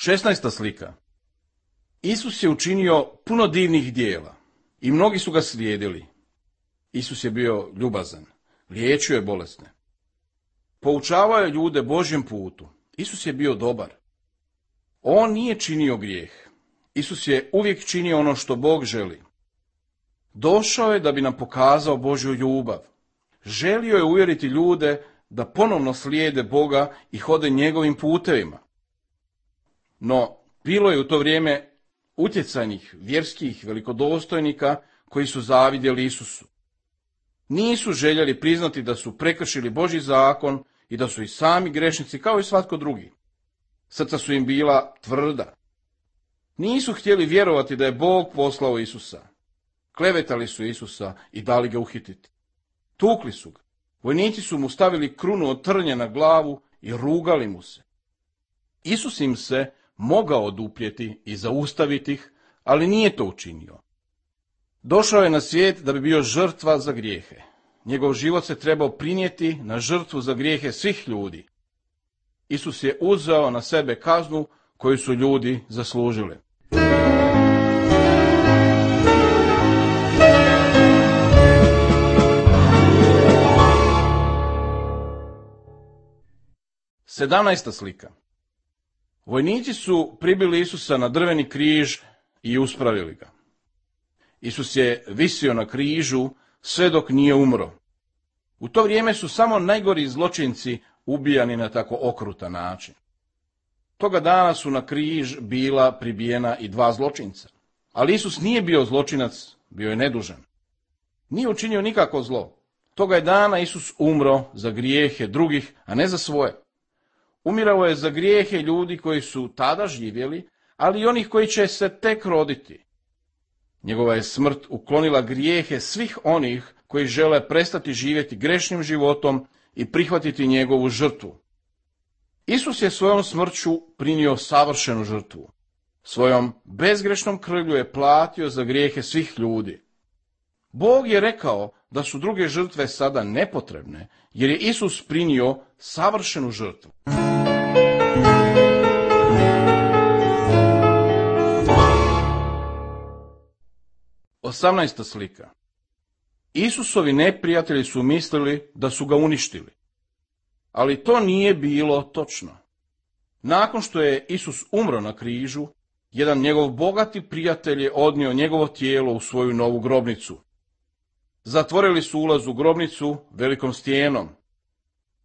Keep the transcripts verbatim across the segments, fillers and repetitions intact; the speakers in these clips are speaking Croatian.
šesnaesta slika. Isus je učinio puno divnih dijela i mnogi su ga slijedili. Isus je bio ljubazan, liječio je bolesne. Poučavao je ljude Božjem putu. Isus je bio dobar. On nije činio grijeh. Isus je uvijek činio ono što Bog želi. Došao je da bi nam pokazao Božju ljubav. Želio je uvjeriti ljude da ponovno slijede Boga i hode njegovim putevima. No, bilo je u to vrijeme utjecajnih vjerskih velikodostojnika koji su zavidjeli Isusu. Nisu željeli priznati da su prekršili Božji zakon i da su i sami grešnici kao i svatko drugi. Srca su im bila tvrda. Nisu htjeli vjerovati da je Bog poslao Isusa. Klevetali su Isusa i dali ga uhititi. Tukli su ga. Vojnici su mu stavili krunu od trnja na glavu i rugali mu se. Isus im se mogao oduprijeti i zaustaviti ih, ali nije to učinio. Došao je na svijet da bi bio žrtva za grijehe. Njegov život se trebao prinijeti na žrtvu za grijehe svih ljudi. Isus je uzeo na sebe kaznu koju su ljudi zaslužili. sedamnaesta slika. Vojnici su pribili Isusa na drveni križ i uspravili ga. Isus je visio na križu sve dok nije umro. U to vrijeme su samo najgori zločinci ubijani na tako okrutan način. Toga dana su na križ bila pribijena i dva zločinca. Ali Isus nije bio zločinac, bio je nedužan. Nije učinio nikako zlo. Toga je dana Isus umro za grijehe drugih, a ne za svoje. Umirao je za grijehe ljudi koji su tada živjeli, ali i onih koji će se tek roditi. Njegova je smrt uklonila grijehe svih onih koji žele prestati živjeti grešnim životom i prihvatiti njegovu žrtvu. Isus je svojom smrću prinio savršenu žrtvu. Svojom bezgrešnom krvlju je platio za grijehe svih ljudi. Bog je rekao da su druge žrtve sada nepotrebne, jer je Isus prinio savršenu žrtvu. osamnaesta slika. Isusovi neprijatelji su mislili da su ga uništili. Ali to nije bilo točno. Nakon što je Isus umro na križu, jedan njegov bogati prijatelj je odnio njegovo tijelo u svoju novu grobnicu. Zatvorili su ulaz u grobnicu velikom stijenom.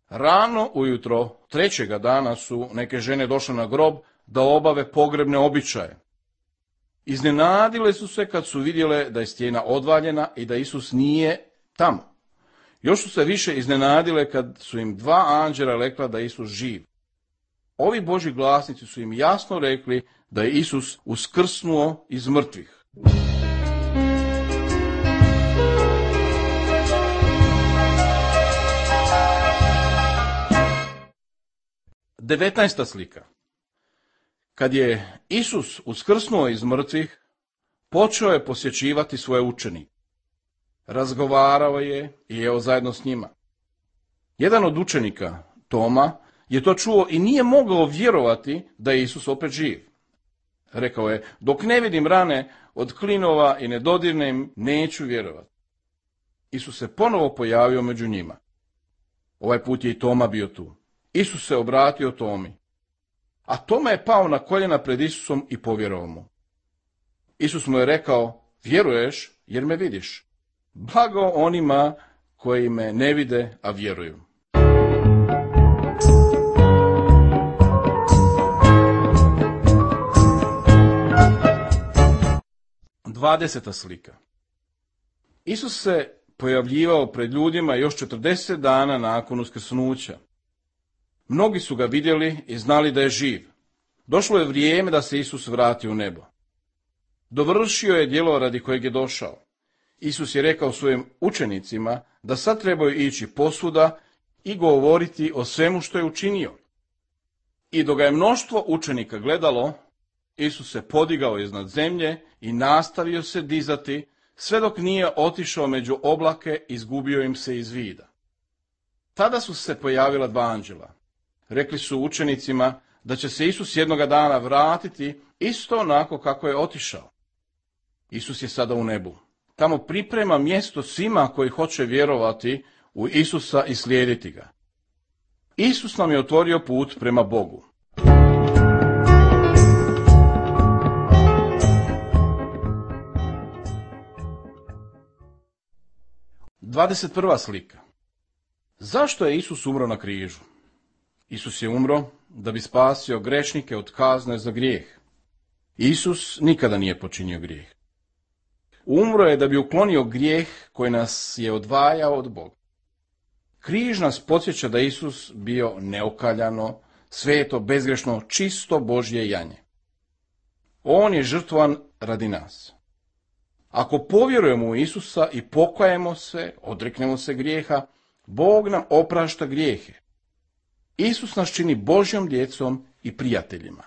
Rano ujutro trećega dana su neke žene došle na grob da obave pogrebne običaje. Iznenadile su se kad su vidjele da je stijena odvaljena i da Isus nije tamo. Još su se više iznenadile kad su im dva anđela rekla da je Isus živ. Ovi Božji glasnici su im jasno rekli da je Isus uskrsnuo iz mrtvih. devetnaesta slika. Kad je Isus uskrsnuo iz mrtvih, počeo je posjećivati svoje učenike. Razgovarao je i jeo zajedno s njima. Jedan od učenika, Toma, je to čuo i nije mogao vjerovati da je Isus opet živ. Rekao je, dok ne vidim rane od klinova i ne dodirnem, neću vjerovati. Isus se ponovo pojavio među njima. Ovaj put je i Toma bio tu. Isus se obratio Tomi. A Toma je pao na koljena pred Isusom i povjerovao mu. Isus mu je rekao, vjeruješ jer me vidiš. Blago onima koji me ne vide, a vjeruju. dvadeseta slika. Isus se pojavljivao pred ljudima još četrdeset dana nakon uskrsnuća. Mnogi su ga vidjeli i znali da je živ. Došlo je vrijeme da se Isus vrati u nebo. Dovršio je djelo radi kojeg je došao. Isus je rekao svojim učenicima da sad trebaju ići posvuda i govoriti o svemu što je učinio. I dok ga je mnoštvo učenika gledalo, Isus se podigao iznad zemlje i nastavio se dizati, sve dok nije otišao među oblake i izgubio im se iz vida. Tada su se pojavila dva anđela. Rekli su učenicima da će se Isus jednoga dana vratiti isto onako kako je otišao. Isus je sada u nebu. Tamo priprema mjesto svima koji hoće vjerovati u Isusa i slijediti ga. Isus nam je otvorio put prema Bogu. dvadeset prva slika. Zašto je Isus umro na križu? Isus je umro da bi spasio grešnike od kazne za grijeh. Isus nikada nije počinio grijeh. Umro je da bi uklonio grijeh koji nas je odvajao od Boga. Križ nas podsjeća da Isus bio neokaljano, sveto, bezgrešno, čisto Božje janje. On je žrtvovan radi nas. Ako povjerujemo u Isusa i pokajemo se, odreknemo se grijeha, Bog nam oprašta grijehe. Isus nas čini Božjom djecom i prijateljima.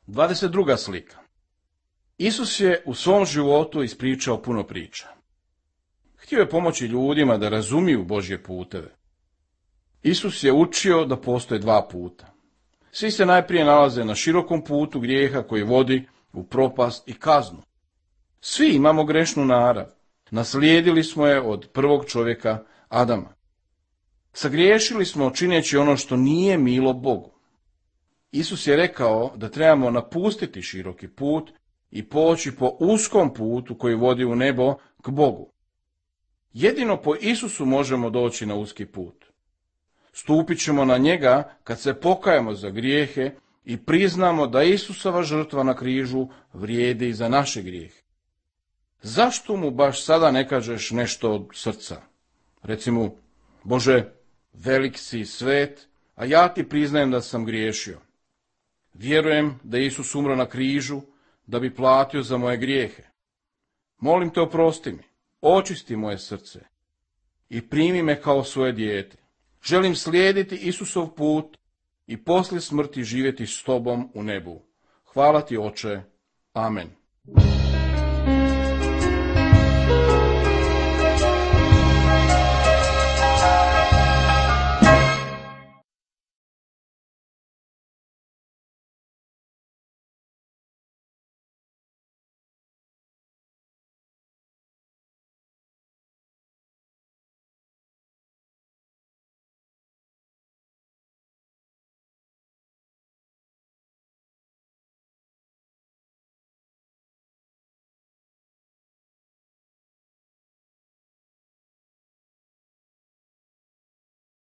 dvadeset druga slika. Isus je u svom životu ispričao puno priča. Htio je pomoći ljudima da razumiju Božje puteve. Isus je učio da postoje dva puta. Svi se najprije nalaze na širokom putu grijeha koji vodi u propast i kaznu. Svi imamo grešnu narav. Naslijedili smo je od prvog čovjeka Adama. Sagriješili smo čineći ono što nije milo Bogu. Isus je rekao da trebamo napustiti široki put i poći po uskom putu koji vodi u nebo k Bogu. Jedino po Isusu možemo doći na uski put. Stupit ćemo na njega kad se pokajemo za grijehe i priznamo da Isusova žrtva na križu vrijedi i za naše grijehe. Zašto mu baš sada ne kažeš nešto od srca? Recimo, Bože, velik si svet, a ja ti priznajem da sam griješio. Vjerujem da je Isus umro na križu da bi platio za moje grijehe. Molim te, oprosti mi, očisti moje srce i primi me kao svoje dijete. Želim slijediti Isusov put i poslije smrti živjeti s tobom u nebu. Hvala ti, Oče. Amen.